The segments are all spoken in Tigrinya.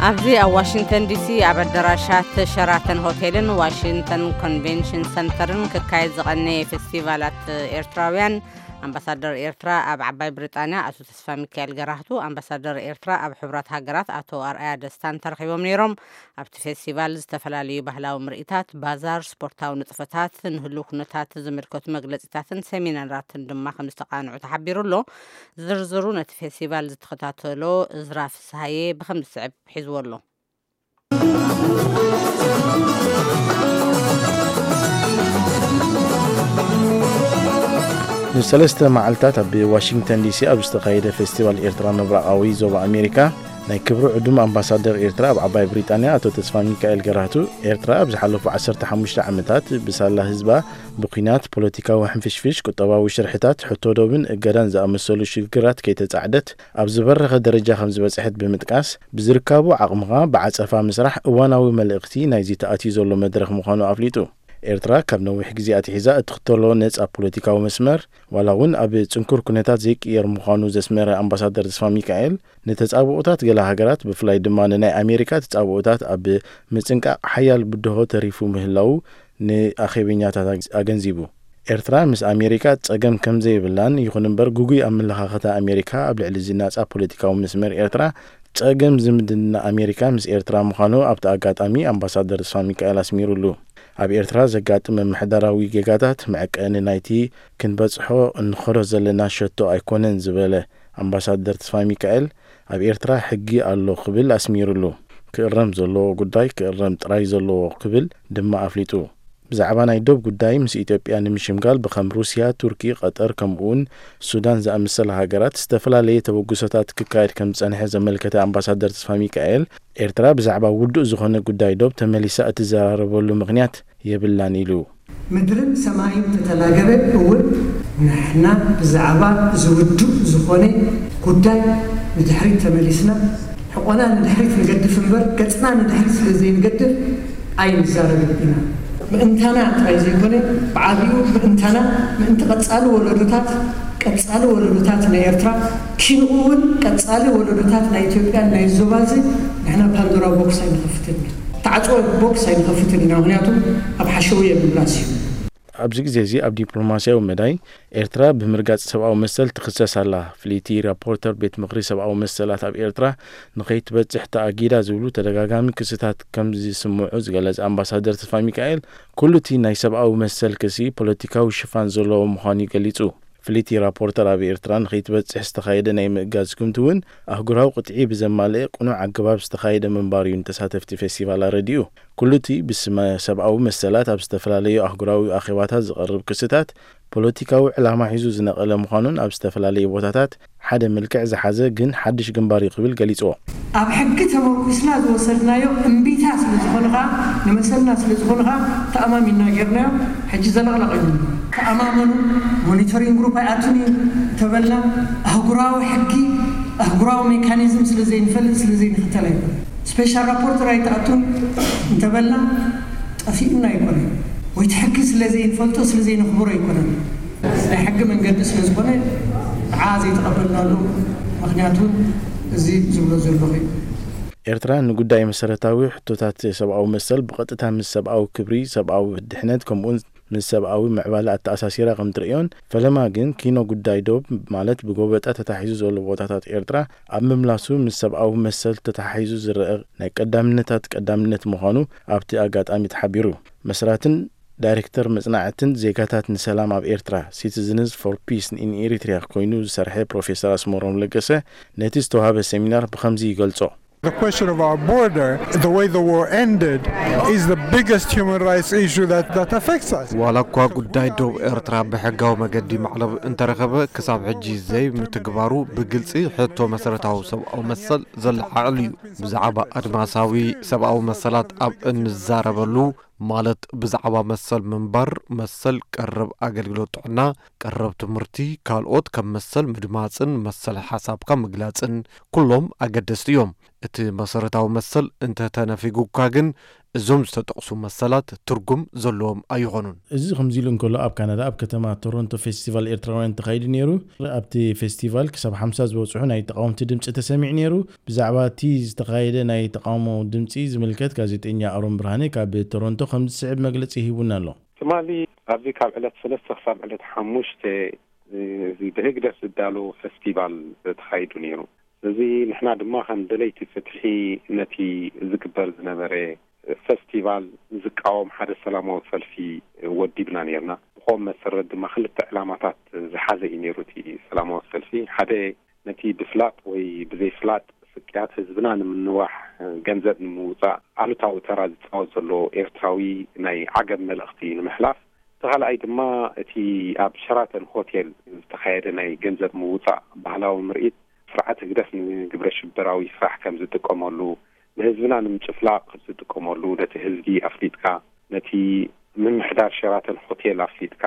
ኣብዚ ኣብ ዋሽንግተን ዲሲ ኣብ ኣዳራሻት ሸራተን ሆቴልን ዋሽንግተን ኮንቬንሽን ሰንተርን ክካየድ ዝቐነየ ፌስቲቫላት ኤርትራውያን፣ ኣምባሳደር ኤርትራ ኣብ ዓባይ ብሪጣንያ ኣቶ ተስፋ ሚካኤል ገራህቱ፣ ኣምባሳደር ኤርትራ ኣብ ሕቡራት ሃገራት ኣቶ ኣርኣያ ደስታን ተረኺቦም ነይሮም። ኣብቲ ፌስቲቫል ዝተፈላለዩ ባህላዊ ምርኢታት፣ ባዛር፣ ስፖርታዊ ንጥፈታት፣ ንህሉው ኩነታት ዝምልከቱ መግለጺታትን ሰሚናራትን ድማ ከም ዝተቓንዑ ተሓቢሩ ኣሎ። ዝርዝሩ ነቲ ፌስቲቫል ዝተኸታተሎ እዝራ ፍስሃየ ብኸም ዝስዕብ ሒዝዎ ኣሎ። ንሰለስተ መዓልታት ኣብ ዋሽንግተን ዲሲ ኣብ ዝተኻየደ ፌስቲቫል ኤርትራ ምብራቓዊ ዞባ ኣሜሪካ፣ ናይ ክብሪ ዕዱም ኣምባሳደር ኤርትራ ኣብ ዓባይ ብሪጣንያ ኣቶ ተስፋ ሚካኤል ገራህቱ፣ ኤርትራ ኣብ ዝሓለፉ ዓሰርተ ሓሙሽተ ዓመታት ብሳላ ህዝባ ብኲናት፣ ፖለቲካዊ ሕንፍሽፍሽ፣ ቁጠባዊ ሽርሕታት፣ ሕቶ ዶብን እገዳን ዝኣመሰሉ ሽግራት ከይተጻዕደት ኣብ ዝበረኸ ደረጃ ከም ዝበጽሐት ብምጥቃስ፣ ብዝርካቡ ዓቕምኻ ብዓጸፋ ምስራሕ እዋናዊ መልእኽቲ ናይዚ ተኣትዩ ዘሎ መድረኽ ምዃኑ ኣፍሊጡ። ኤርትራ ካብ ነዊሕ ግዜ ኣትሒዛ እትኽተሎ ነጻ ፖለቲካዊ መስመር፣ ዋላ እውን ኣብ ጽንኩር ኩነታት ዘይቅየር ምዃኑ ዘስመረ ኣምባሳደር ተስፋ ሚካኤል፣ ንተጻብኦታት ገለ ሃገራት፣ ብፍላይ ድማ ንናይ ኣሜሪካ ተጻብኦታት ኣብ ምጽንቃቕ ሓያል ብድሆ ተሪፉ ምህላዉ ንኣኼበኛታት ኣገንዚቡ። ኤርትራ ምስ ኣሜሪካ ጸገም ከም ዘይብላን፣ ይኹን እምበር ግጉይ ኣመለኻኽታ ኣሜሪካ ኣብ ልዕሊ እዚ ናጻ ፖለቲካዊ መስመር ኤርትራ ጸገም ዝምድና ኣሜሪካ ምስ ኤርትራ ምዃኑ ኣብቲ ኣጋጣሚ ኣምባሳደር ተስፋ ሚካኤል ኣስሚሩሉ። ኣብ ኤርትራ ዘጋጥም ምምሕዳራዊ ጌጋታት መዐቀኒ ናይቲ ክንበጽሖ እንኸዶ ዘለና ሸቶ ኣይኮነን ዝበለ ኣምባሳደር ተስፋ ሚካኤል፣ ኣብ ኤርትራ ሕጊ ኣሎ ክብል ኣስሚሩሉ። ክእረም ዘለዎ ጉዳይ ክእረም ጥራይ ዘለዎ ክብል ድማ ኣፍሊጡ። ብዛዕባ ናይ ዶብ ጉዳይ ምስ ኢትዮጵያ ንምሽምጋል ብኸም ሩስያ፣ ቱርኪ፣ ቀጠር ከምኡውን ሱዳን ዝኣመሰላ ሃገራት ዝተፈላለየ ተበግሶታት ክካየድ ከም ዝጸንሐ ዘመልከተ ኣምባሳደር ተስፋ ሚካኤል፣ ኤርትራ ብዛዕባ ውዱእ ዝኾነ ጉዳይ ዶብ ተመሊሳ እትዘራረበሉ ምኽንያት የብላን ኢሉ። ምድርን ሰማይን ተተላገበ እውን ንሕና ብዛዕባ እዚ ውዱእ ዝኾነ ጉዳይ ንድሕሪት ተመሊስና ሕቆና ንድሕሪት ንገድፍ እምበር ገጽና ንድሕሪት ስለ ዘይንገድፍ ኣይንዛረብን ኢና። ምእንታና ጥራይ ዘይኮነ ብዓቢኡ ምእንታና ምእንቲ ቀጻሊ ወለዶታት ቀጻሊ ወለዶታት ናይ ኤርትራ ኪንኡ እውን ቀጻሊ ወለዶታት ናይ ኢትዮጵያን ናይ ዞባዚ ንሕና ፓንዶራ ቦክስ ኣይንኸፍትን ኢና። ተዓጽወ ቦክስ ኣይንኸፍትን ኢና ምኽንያቱ ኣብ ሓሸውየ ምምላስ እዩ። ኣብዚ ግዜ እዚ ኣብ ዲፕሎማስያዊ መዳይ ኤርትራ ብምርጋጽ ሰብኣዊ መሰል ትኽሰስ ኣላ። ፍልይቲ ራፖርተር ቤት ምኽሪ ሰብኣዊ መሰላት ኣብ ኤርትራ ንኸይትበጽሕ ተኣጊዳ ዝብሉ ተደጋጋሚ ክስታት ከም ዝስምዑ ዝገለጸ ኣምባሳደር ተስፋሚካኤል፣ ኩሉ እቲ ናይ ሰብኣዊ መሰል ክሲ ፖለቲካዊ ሽፋን ዘለዎ ምዃኑ ገሊጹ። ፍልይቲ ራፖርተር ኣብ ኤርትራ ንኸይትበጽሕ ዝተኻየደ ናይ ምእጋድ ስጉምቲ እውን ኣህጉራዊ ቅጥዒ ብዘማልእ ቅኑዕ ኣገባብ ዝተኻየደ ምንባሩ እዩ ንተሳተፍቲ ፌስቲቫል ኣረዲኡ። ኩሉ እቲ ብስመ ሰብኣዊ መሰላት ኣብ ዝተፈላለዩ ኣህጉራዊ ኣኼባታት ዝቐርብ ክስታት ፖለቲካዊ ዕላማ ሒዙ ዝነቐለ ምዃኑን ኣብ ዝተፈላለዩ ቦታታት ሓደ መልክዕ ዝሓዘ ግን ሓድሽ ግንባር እዩ ክብል ገሊፅዎ። ኣብ ሕጊ ተመርኩስና ዝወሰድናዮ እምቢታ ስለ ዝኾነ ኸዓ ንመሰልና ስለ ዝኾነ ኸዓ ተኣማሚንና ጌርናዮ። ሕጂ ዘለቕለቕ እዩ። ተኣማመኑ። ሞኒተሪንግ ግሩፕ ኣይኣቱን እዩ እንተበልና ኣህጉራዊ ሕጊ ኣህጉራዊ ሜካኒዝም ስለ ዘይንፈልጥ ስለ ዘይንኽተል ኣይኮነ። ስፔሻል ራፖርተር ኣይትኣቱን እንተበልና ጠፊኡና ኣይኮነ ወይ እቲ ሕጊ ስለ ዘይንፈልጦ ስለ ዘይነኽብሮ ኣይኮነን። ናይ ሕጊ መንገዲ ስለ ዝኾነ ንዓ ዘይተቐበልናሉ ምኽንያት እውን እዚ ዝብሎ ዘለኹ እዩ። ኤርትራ ንጉዳይ መሰረታዊ ሕቶታት ሰብኣዊ መሰል ብቐጥታ ምስ ሰብኣዊ ክብሪ፣ ሰብኣዊ ድሕነት ከምኡውን ምስ ሰብኣዊ ምዕባለ ኣተኣሳሲራ ከም ትርእዮን፣ ፈለማ ግን ኪኖ ጉዳይ ዶብ ማለት ብጎበጣ ተታሒዙ ዘሎ ቦታታት ኤርትራ ኣብ ምምላሱ ምስ ሰብኣዊ መሰል ተተሓሒዙ ዝረአ ናይ ቀዳምነታት ቀዳምነት ምዃኑ ኣብቲ ኣጋጣሚ ተሓቢሩ። መስራትን ዳይሬክተር መጽናዕትን ዜጋታት ንሰላም ኣብ ኤርትራ፣ Citizens for Peace in Eritrea፣ ኮይኑ ዝሰርሐ ፕሮፌሰር ኣስመሮም ለገሰ ነቲ ዝተዋህበ ሰሚናር ብኸምዚ ይገልጾ። The question of our border, the way the war ended, is the biggest human rights issue that, that affects us. ዋላ እኳ ጉዳይ ዶብ ኤርትራ ብሕጋዊ መገዲ ማዕለብ እንተረኸበ፣ ክሳብ ሕጂ ዘይምትግባሩ ብግልጺ ሕቶ መሰረታዊ ሰብኣዊ መሰል ዘለዓዕል እዩ። ብዛዕባ ኣድማሳዊ ሰብኣዊ መሰላት ኣብ እንዛረበሉ፣ ማለት ብዛዕባ መሰል ምንባር፣ መሰል ቀረብ ኣገልግሎት ጥዕና፣ ቀረብ ትምህርቲ፣ ካልኦት ከም መሰል ምድማጽን መሰል ሓሳብካ ምግላጽን ኩሎም ኣገደስቲ እዮም። እቲ መሰረታዊ መሰል እንተተነፊጉካ ግን እዞም ዝተጠቕሱ መሰላት ትርጉም ዘለዎም ኣይኾኑን። እዚ ከምዚ ኢሉ እንከሎ፣ ኣብ ካናዳ ኣብ ከተማ ቶሮንቶ ፌስቲቫል ኤርትራውያን ተኻይዱ ነይሩ። ኣብቲ ፌስቲቫል ክሳብ ሓምሳ ዝበጽሑ ናይ ተቓወምቲ ድምጺ ተሰሚዑ ነይሩ። ብዛዕባ እቲ ዝተኻየደ ናይ ተቓውሞ ድምጺ ዝምልከት ጋዜጠኛ ኣሮን ብርሃነ ካብ ቶሮንቶ ከም ዝስዕብ መግለጺ ሂቡና ኣሎ። ትማሊ ኣብዚ ካብ ዕለት ሰለስተ ክሳብ ዕለት ሓሙሽተ፣ እ፣ እዚ ብህግደፍ ዝዳሎ ፈስቲቫል ተኻይዱ ነይሩ። እዚ ንሕና ድማ ከም ደለይቲ ፍትሒ ነቲ ዝግበር ዝነበረ ፈስቲቫል ዝቃወም ሓደ ሰላማዊ ሰልፊ ወዲብና ነይርና። ብኸም መሰረት ድማ ክልተ ዕላማታት ዝሓዘ እዩ ነይሩ እቲ ሰላማዊ ሰልፊ። ሓደ ነቲ ብፍላጥ ወይ ብዘይፍላጥ ስቅያት ህዝብና ንምንዋሕ ገንዘብ ንምውጻእ ኣሉታዊ ተራ ዝጻወት ዘሎ ኤርትራዊ ናይ ዓገብ መልእኽቲ ንምሕላፍ። እቲ ካልኣይ ድማ እቲ ኣብ ሸራተን ሆቴል ዝተኻየደ ናይ ገንዘብ ምውጻእ ባህላዊ ምርኢት ስርዓት ህግደፍ ንግብረ ሽበራዊ ስራሕ ከም ዝጥቀመሉ፣ ንህዝብና ንምጭፍላቕ ከም ዝጥቀመሉ ነቲ ህዝቢ ኣፍሊጥካ፣ ነቲ ምምሕዳር ሸራተን ሆቴል ኣፍሊጥካ፣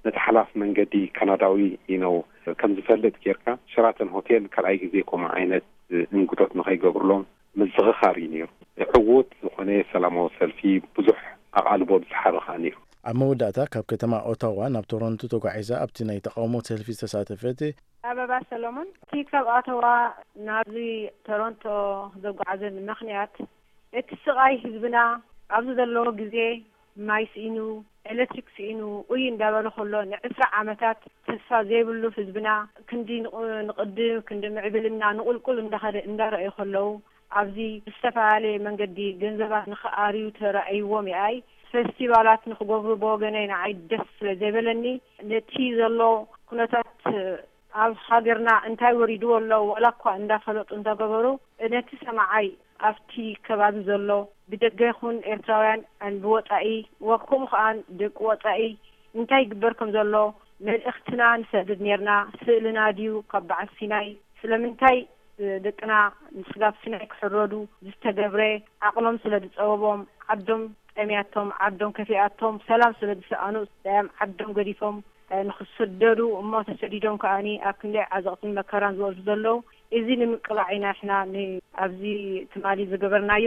ነቲ ሓላፍ መንገዲ ካናዳዊ ኢነው ከም ዝፈልጥ ጌርካ፣ ሸራተን ሆቴል ካልኣይ ግዜ ከምኡ ዓይነት እንግዶት ንኸይገብርሎም ምዝኽኻር እዩ ነይሩ። ዕዉት ዝኾነ ሰላማዊ ሰልፊ ብዙሕ ኣቓልቦ ዝሰሓበ ኸኣ ነይሩ። ኣብ መወዳእታ ካብ ከተማ ኦታዋ ናብ ቶሮንቶ ተጓዒዛ ኣብቲ ናይ ተቓውሞ ሰልፊ ዝተሳተፈት ኣበባ ሰሎሞን፣ እቲ ካብ ኣተዋ ናብዚ ቶሮንቶ ዘጓዓዘኒ ምኽንያት፣ እቲ ስቓይ ህዝብና ኣብዚ ዘለዎ ግዜ፣ ማይ ስኢኑ፣ ኤሌክትሪክ ስኢኑ፣ ኡይ እንዳበለ ከሎ፣ ንዕስራ ዓመታት ተስፋ ዘይብሉ ህዝብና፣ ክንዲ ንቕ-፣ ንቕድም፣ ክንዲ ምዕብልና ንቑልቁል እንዳኸደ እንዳረኣዩ ከለዉ፣ ኣብዚ ብዝተፈላለየ መንገዲ ገንዘባት ንኽኣርዩ ተራእይዎም ይኣይ። ፈስቲቫላት ንኽገብሩ ብወገነይ ንዓይ ደስ ስለ ዘይበለኒ፣ ነቲ ዘሎ ኩነታት ኣብ ሃገርና እንታይ ወሪድዎ ኣሎ፣ ዋላ እኳ እንዳፈለጡ እንዳገበሩ፣ ነቲ ሰማዓይ ኣብቲ ከባቢ ዘሎ ብደገ ይኹን ኤርትራውያን ብወጻኢ፣ ወ-፣ ከምኡ ከኣ ደቂ ወጻኢ እንታይ ይግበር ከም ዘሎ መልእኽትና ንሰድድ ኔርና። ስእልና ድዩ ካብ በዓል ሲናይ? ስለምንታይ ደቅና ንስጋብ ሲናይ ክሕረዱ ዝተገብረ? ዓቕሎም ስለ ዝጸበቦም፣ ዓዶም ጠምያቶም፣ ዓዶም ከፊኣቶም፣ ሰላም ስለ ዝሰኣኑ፣ ዳያም ዓዶም ገዲፎም፣ እ፣ ንኽስደዱ እሞ ተሰዲዶም ከኣኒ ኣብ ክንደይ ዓዘቕትን መከራን ዝወርዱ ዘለዉ። እዚ ንምቅላዕ ኢና ንሕና ን-፣ ኣብዚ ትማሊ ዝገበርናዮ።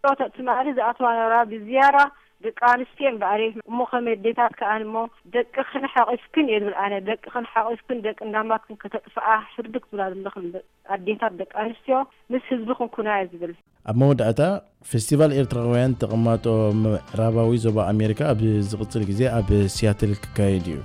እቶ ትማሊ ዝኣተዋ ነራ ብዝያዳ ደቂ ኣንስትዮ እምበኣር እየ። እሞ ከመይ ኣዴታት ከኣኒ እሞ ደቅኽን ሓቒፍክን እየ ዝብል ኣነ። ደቅኽን ሓቒፍክን ደቂ እንዳማትክን ከተጥፍኣ ሕርድግ ትብላ ዘለኽን ኣዴታት ደቂ ኣንስትዮ ምስ ህዝብኽን ኩና እየ ዝብል። ኣብ መወዳእታ፣ ፌስቲቫል ኤርትራውያን ተቐማጦ ምዕራባዊ ዞባ ኣሜሪካ ኣብ ዝቕጽል ግዜ ኣብ ሲያትል ክካየድ እዩ።